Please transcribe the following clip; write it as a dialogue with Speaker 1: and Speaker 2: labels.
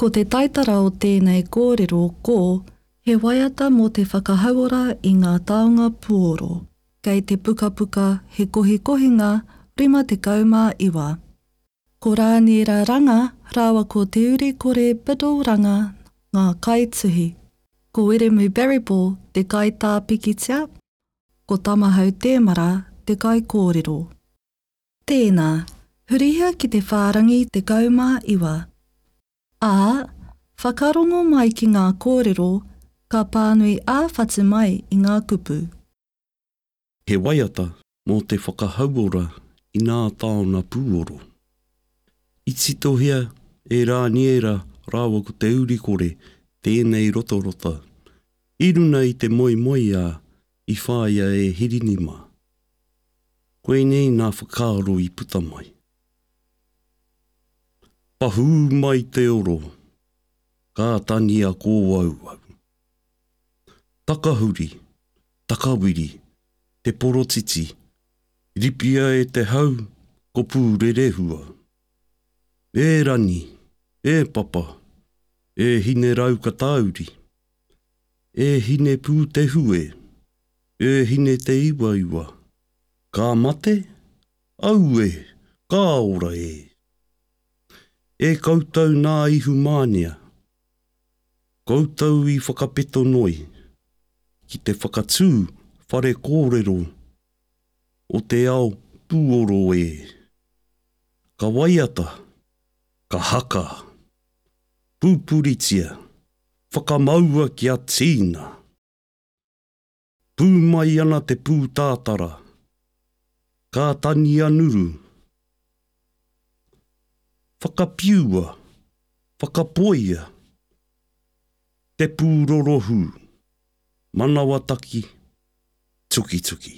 Speaker 1: Ko te taitara o tēnei kōrero ko He waiata mō te whakahauora i ngā taonga puoro, kei te pukapuka He Kohikohinga 59. Ko Rāniera Ranga rāua ko Te Urikore Biddle Ranga ngā kaituhi. Ko Wiremu Barryball te kaitā pikitia, ko Tamahau Tēmara te kaikōrero. Tēnā, hurihia ki te whārangi 19. Ā, whakarongo mai ki ngā kōrero ka pānui ā-whatu mai i ngā kupu.
Speaker 2: He waiata mō te whakahauora i nā taona pūoro. I titohia e Rāniera rāua ko Te Urikore tēnei rotarota i runa i te moemoeā i whāia e Hirini mā. Koinei nā whakaaro i puta mai. Pahū mai te oro, ka tania kōauau. Takahuri, takawiri, te porotiti, ripia e te hau ko Pūrerehua. E Rani, e Papa, e Hineraukatauri, e Hinepūtehue, e Hine-te-iwaiwa, ka mate? Aue, ka ora e! E koutou nā Ihumānia, koutou i whakapeto noi ki te whakatū whare kōrero o te ao pūoro e. Ka waiata, ka haka, pupuritia, whakamaua kia tīna! Pū mai ana te pūtātara, ka tania nuru. Whakapiua, whakapoia, te pūrorohū, manawataki, tukituki.